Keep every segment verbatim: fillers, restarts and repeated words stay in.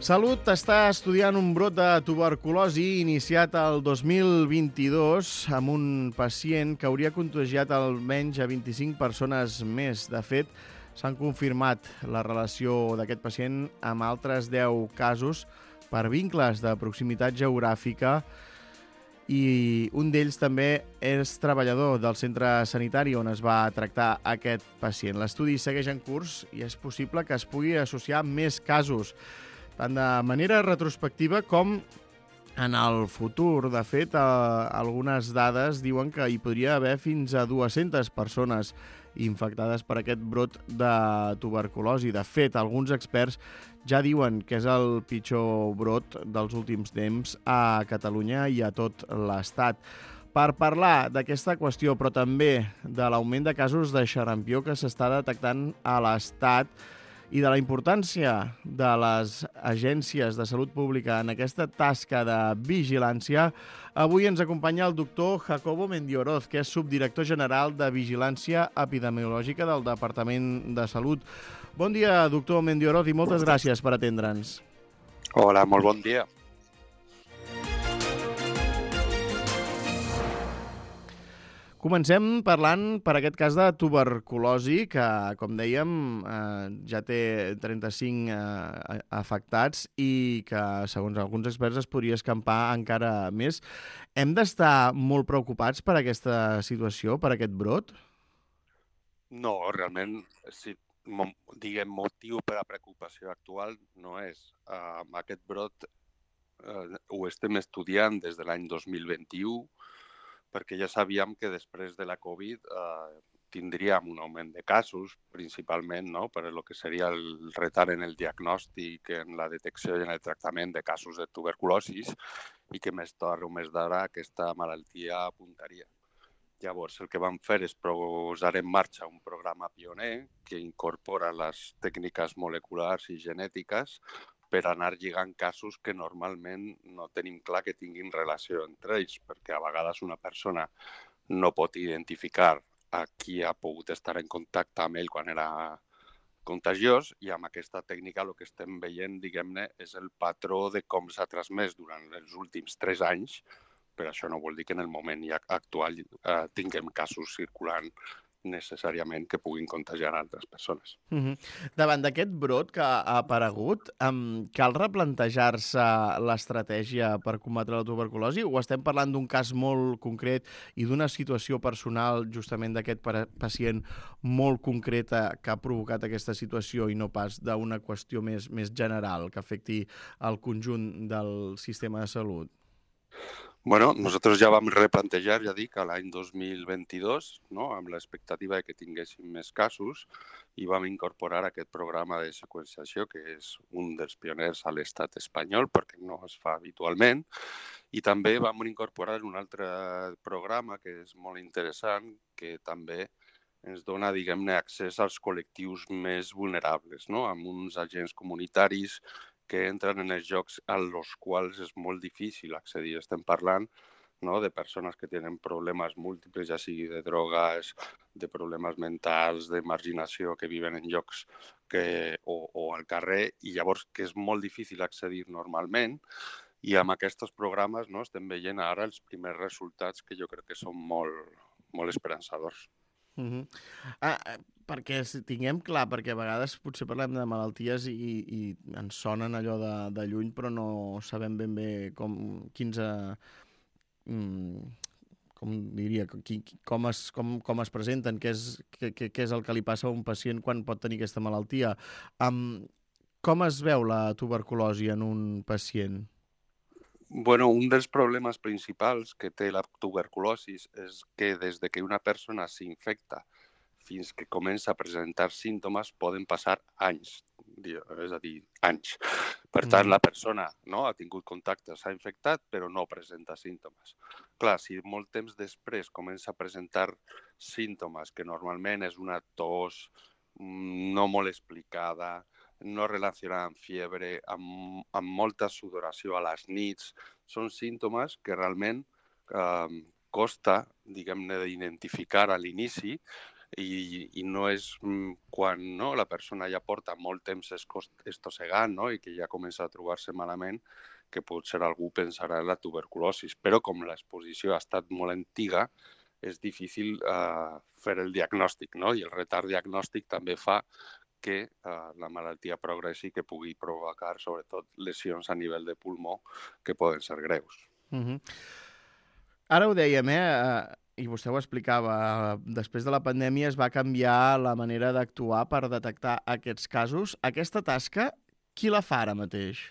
Salut està estudiant un brot de tuberculosi iniciat el dos mil vint-i-dos amb un pacient que hauria contagiat almenys a vint-i-cinc persones més. De fet, s'han confirmat la relació d'aquest pacient amb altres deu casos per vincles de proximitat geogràfica i un d'ells també és treballador del centre sanitari on es va tractar aquest pacient. L'estudi segueix en curs i és possible que es pugui associar més casos, tant de manera retrospectiva com en el futur. De fet, eh, algunes dades diuen que hi podria haver fins a dues-centes persones infectades per aquest brot de tuberculosi. De fet, alguns experts ja diuen que és el pitjor brot dels últims temps a Catalunya i a tot l'Estat. Per parlar d'aquesta qüestió, però també de l'augment de casos de xarampió que s'està detectant a l'Estat i de la importància de les agències de salut pública en aquesta tasca de vigilància, avui ens acompanya el doctor Jacobo Mendioroz, que és subdirector general de Vigilància Epidemiològica del Departament de Salut. Bon dia, doctor Mendioroz, i moltes gràcies per atendre'ns. Hola, molt bon dia. Comencem parlant per aquest cas de tuberculosi, que, com dèiem, eh, ja té trenta-cinc eh, afectats i que, segons alguns experts, es podria escampar encara més. Hem d'estar molt preocupats per aquesta situació, per aquest brot? No, realment, si diguem motiu per a preocupació actual no és. Uh, aquest brot uh, ho estem estudiant des de l'any dos mil vint-i-u, perquè ja sabíem que després de la Covid eh, tindríem un augment de casos, principalment no? Per el que seria el retard en el diagnòstic, en la detecció i en el tractament de casos de tuberculosi i que més tard o més d'ara aquesta malaltia apuntaria. Llavors, el que vam fer és posar en marxa un programa pioner que incorpora les tècniques moleculars i genètiques per anar lligant casos que normalment no tenim clar que tinguin relació entre ells, perquè a vegades una persona no pot identificar a qui ha pogut estar en contacte amb ell quan era contagiós i amb aquesta tècnica el que estem veient, diguem-ne, és el patró de com s'ha transmès durant els últims tres anys, però això no vol dir que en el moment actual eh, tinguem casos circulant necessàriament que puguin contagiar altres persones. Uh-huh. Davant d'aquest brot que ha aparegut, um, cal replantejar-se l'estratègia per combatre la tuberculosi o estem parlant d'un cas molt concret i d'una situació personal justament d'aquest pacient molt concreta que ha provocat aquesta situació i no pas d'una qüestió més, més general que afecti el conjunt del sistema de salut? Bueno, nosotros ja vam replantejar, ja dic, a l'any dos mil vint-i-dos, no? Amb l'expectativa de que tinguéssim més casos i vam incorporar aquest programa de seqüenciació, que és un dels pioners a l'estat espanyol, perquè no es fa habitualment, i també vam incorporar un altre programa que és molt interessant, que també ens dona, diguem-ne, accés als col·lectius més vulnerables, no? Amb uns agents comunitaris que entren en els jocs als quals és molt difícil accedir. Estem parlant no, de persones que tenen problemes múltiples, ja sigui de drogues, de problemes mentals, de marginació, que viven en llocs que, o, o al carrer, i llavors que és molt difícil accedir normalment. I amb aquests programes no, estem veient ara els primers resultats que jo crec que són molt, molt esperançadors. Uh-huh. Ah, perquè tinguem clar, perquè a vegades potser parlem de malalties i, i ens sonen allò de, de lluny, però no sabem ben bé com, quins, mm, com diria, qui, com, es, com, com es presenten, què és, què, què és el que li passa a un pacient quan pot tenir aquesta malaltia. Um, com es veu la tuberculosi en un pacient? Bueno, un dels problemes principals que té la tuberculosi és que des de que una persona s'infecta fins que comença a presentar símptomes poden passar anys, és a dir, anys. Per tant, la persona no, ha tingut contacte, s'ha infectat, però no presenta símptomes. Clar, si molt temps després comença a presentar símptomes, que normalment és una tos no molt explicada, no relacionada amb fiebre, amb, amb molta sudoració a les nits, són símptomes que realment eh, costa, diguem-ne, d'identificar a l'inici i, i no és quan no, la persona ja porta molt temps estossegant, no? I que ja comença a trobar-se malament, que potser algú pensarà en la tuberculosi. Però com l'exposició ha estat molt antiga, és difícil eh, fer el diagnòstic, no? I el retard diagnòstic també fa que eh, la malaltia progressi, que pugui provocar sobretot lesions a nivell de pulmó que poden ser greus. Uh-huh. Ara ho dèiem, eh? I vostè ho explicava, després de la pandèmia es va canviar la manera d'actuar per detectar aquests casos. Aquesta tasca, qui la fa ara mateix?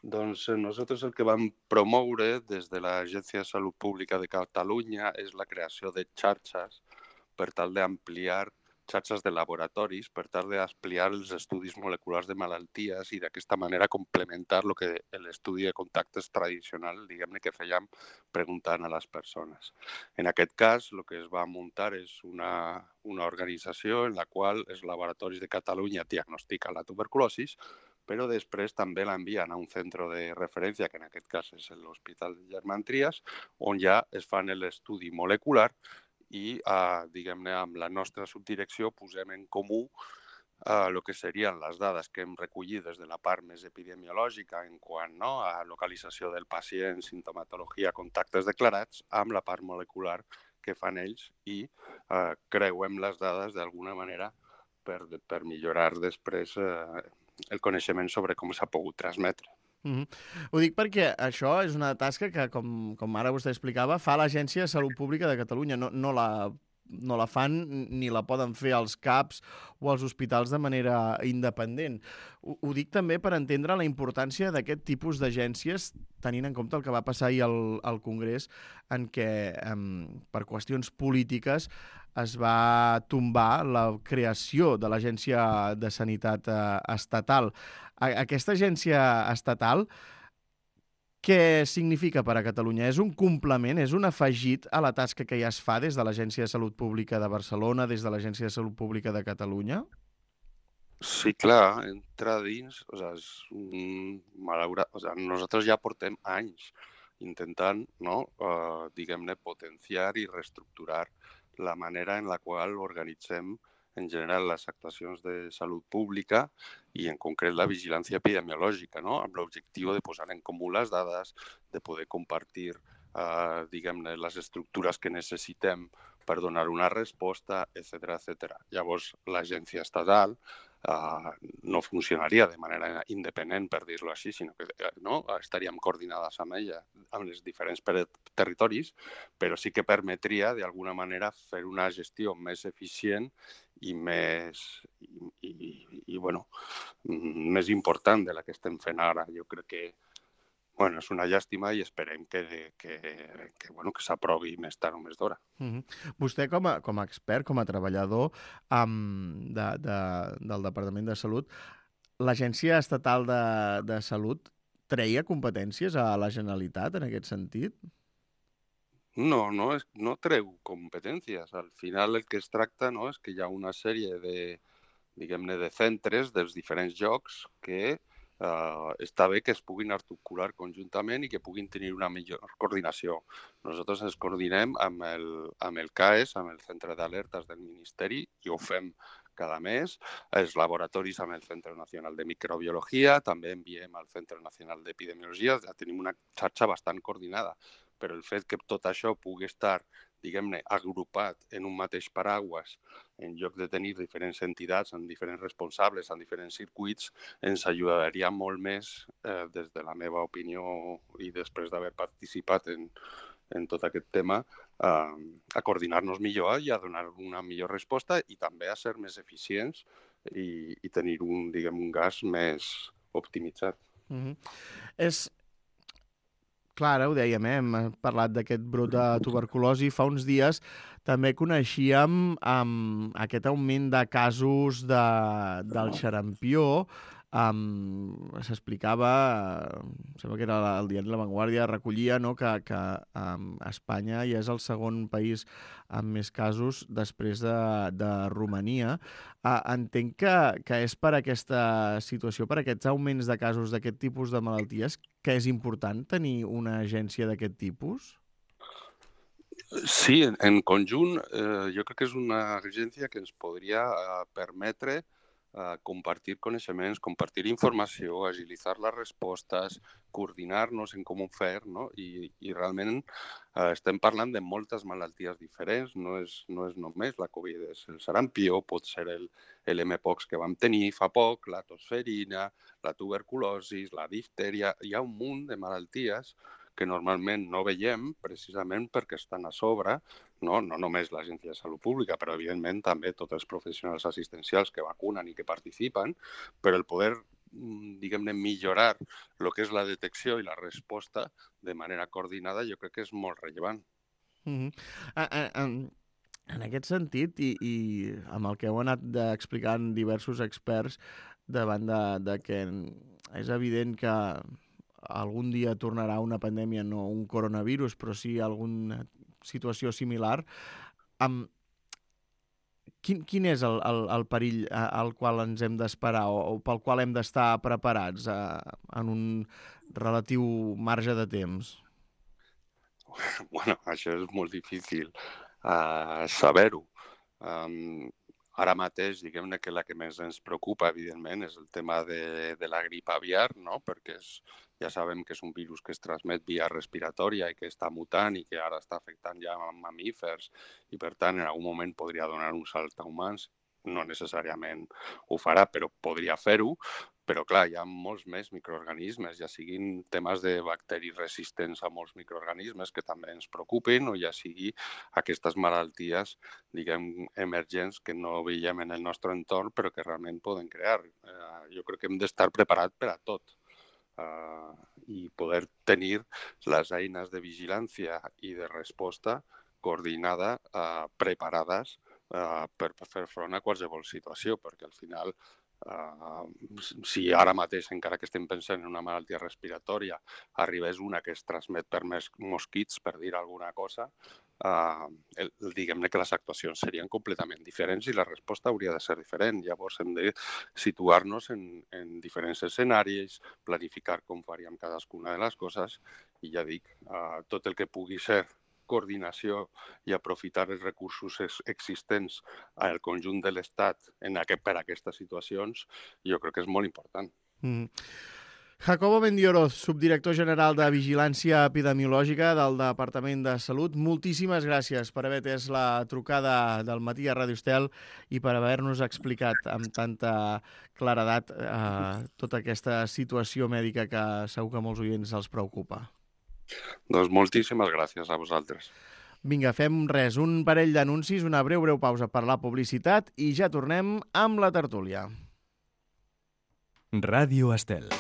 Doncs nosaltres el que vam promoure des de l'Agència de Salut Pública de Catalunya és la creació de xarxes per tal d'ampliar xarxes de laboratoris per tal d'ampliar els estudis moleculars de malalties i d'aquesta manera complementar el que l'estudi de contactes tradicional, diguem-ne, que fèiem preguntant a les persones. En aquest cas, el que es va muntar és una, una organització en la qual els laboratoris de Catalunya diagnostiquen la tuberculosi, però després també l'envien a un centre de referència, que en aquest cas és l'Hospital Germán Trias, on ja es fan l'estudi molecular i, eh, diguem-ne, amb la nostra subdirecció posem en comú eh, el que serien les dades que hem recollit des de la part més epidemiològica en quant no, a localització del pacient, sintomatologia, contactes declarats, amb la part molecular que fan ells i eh, creuem les dades d'alguna manera per, per millorar després eh, el coneixement sobre com s'ha pogut transmetre. Mm-hmm. Ho dic perquè això és una tasca que, com, com ara vostè explicava, fa l'Agència de Salut Pública de Catalunya. No, no, la, no la fan ni la poden fer els C A Ps o els hospitals de manera independent. Ho, ho dic també per entendre la importància d'aquest tipus d'agències, tenint en compte el que va passar ahir al, al Congrés, en què, um, per qüestions polítiques, es va tombar la creació de l'Agència de Sanitat eh, Estatal. Aquesta agència estatal, què significa per a Catalunya? És un complement, és un afegit a la tasca que ja es fa des de l'Agència de Salut Pública de Barcelona, des de l'Agència de Salut Pública de Catalunya? Sí, clar, entra dins, o sea, és un malaurat, o sea, nosaltres ja portem anys intentant, no, uh, diguem-ne, potenciar i reestructurar la manera en la qual organitzem en general les actuacions de salut pública i en concret la vigilància epidemiològica, no? Amb l'objectiu de posar en comú les dades, de poder compartir eh, diguem-ne, les estructures que necessitem per donar una resposta, etcètera, etcètera. Llavors, l'agència estatal eh, no funcionaria de manera independent, per dir-ho així, sinó que no, estaríem coordinades amb ella, amb els diferents territoris, però sí que permetria, d'alguna manera, fer una gestió més eficient i més, i, i, i, bueno, més important de la que estem fent ara. Jo crec que bueno, és una llàstima i esperem que, que, que, bueno, que s'aprovi més tard o més d'hora. Mm-hmm. Vostè, com a, com a expert, com a treballador um, de, de, del Departament de Salut, l'Agència Estatal de, de Salut treia competències a la Generalitat en aquest sentit? No, no, és, no treu competències. Al final el que es tracta no, és que hi ha una sèrie de, diguem-ne, de centres dels diferents llocs que Uh, està bé que es puguin articular conjuntament i que puguin tenir una millor coordinació. Nosaltres ens coordinem amb el, amb el C A E S, amb el Centre d'Alertes del Ministeri, i ho fem cada mes. Els laboratoris amb el Centre Nacional de Microbiologia, també enviem al Centre Nacional d'Epidemiologia, ja tenim una xarxa bastant coordinada, però el fet que tot això pugui estar, diguem-ne, agrupat en un mateix paraigües, en lloc de tenir diferents entitats amb diferents responsables, amb diferents circuits, ens ajudaria molt més, eh, des de la meva opinió i després d'haver participat en, en tot aquest tema, eh, a coordinar-nos millor i a donar una millor resposta i també a ser més eficients i, i tenir un, diguem, un gas més optimitzat. Mm-hmm. És... Clar, ara ho dèiem, eh? Hem parlat d'aquest brot de tuberculosi. Fa uns dies també coneixíem um, aquest augment de casos de, del xarampió. Um, S'explicava, uh, sembla que era el diari La Vanguardia, recollia, no, que, que um, Espanya ja és el segon país amb més casos després de, de Romania. Uh, entenc que, que és per aquesta situació, per aquests augments de casos d'aquest tipus de malalties, que és important tenir una agència d'aquest tipus? Sí, en, en conjunt, eh, jo crec que és una agència que ens podria eh, permetre eh, compartir coneixements, compartir informació, agilitzar les respostes, coordinar-nos en com ho fer, no? I, i realment eh, estem parlant de moltes malalties diferents, no és, no és només la Covid, és el sarampió, pot ser el, el mpox que vam tenir fa poc, la tosferina, la tuberculosi, la diftèria, hi ha un munt de malalties que normalment no veiem precisament perquè estan a sobre, no, no només l'Agència de Salut Pública, però evidentment també tots els professionals assistencials que vacunen i que participen, però el poder, diguem-ne, millorar el que és la detecció i la resposta de manera coordinada jo crec que és molt rellevant. Mm-hmm. a, a, a, en aquest sentit, i, i amb el que heu anat explicant diversos experts davant de, de que és evident que algun dia tornarà una pandèmia, no un coronavirus, però sí alguna situació similar. Um, quin, quin és el, el, el perill al qual ens hem d'esperar o, o pel qual hem d'estar preparats uh, en un relatiu marge de temps? Bueno, això és molt difícil uh, saber-ho. Um, Ara mateix, diguem-ne que la que més ens preocupa, evidentment, és el tema de, de la grip aviar, no? Perquè és, ja sabem que és un virus que es transmet via respiratòria i que està mutant i que ara està afectant ja mamífers i, per tant, en algun moment podria donar un salt a humans. No necessàriament ho farà, però podria fer-ho. Però, clar, hi ha molts més microorganismes, ja siguin temes de bacteris resistents a molts microorganismes que també ens preocupen, o ja sigui aquestes malalties, diguem, emergents que no veiem en el nostre entorn, però que realment poden crear. Eh, jo crec que hem d'estar preparats per a tot. Uh, i poder tenir les eines de vigilància i de resposta coordinada, uh, preparades uh, per fer front a qualsevol situació, perquè al final Uh, si ara mateix, encara que estem pensant en una malaltia respiratòria, arribés una que es transmet per més mosquits, per dir alguna cosa, uh, el, diguem-ne que les actuacions serien completament diferents i la resposta hauria de ser diferent. Llavors hem de situar-nos en, en diferents escenaris, planificar com faríem cadascuna de les coses i ja dic, uh, tot el que pugui ser coordinació i aprofitar els recursos existents al conjunt de l'Estat en aquest, per a aquestes situacions, jo crec que és molt important. Mm. Jacobo Mendioroz, subdirector general de Vigilància Epidemiològica del Departament de Salut, moltíssimes gràcies per haver atès la trucada del matí a Ràdio Estel i per haver-nos explicat amb tanta claredat eh, tota aquesta situació mèdica que segur que molts oients els preocupa. Doncs moltíssimes gràcies a vosaltres. Vinga, fem res, un parell d'anuncis, una breu, breu pausa per la publicitat i ja tornem amb la tertúlia. Ràdio Estel.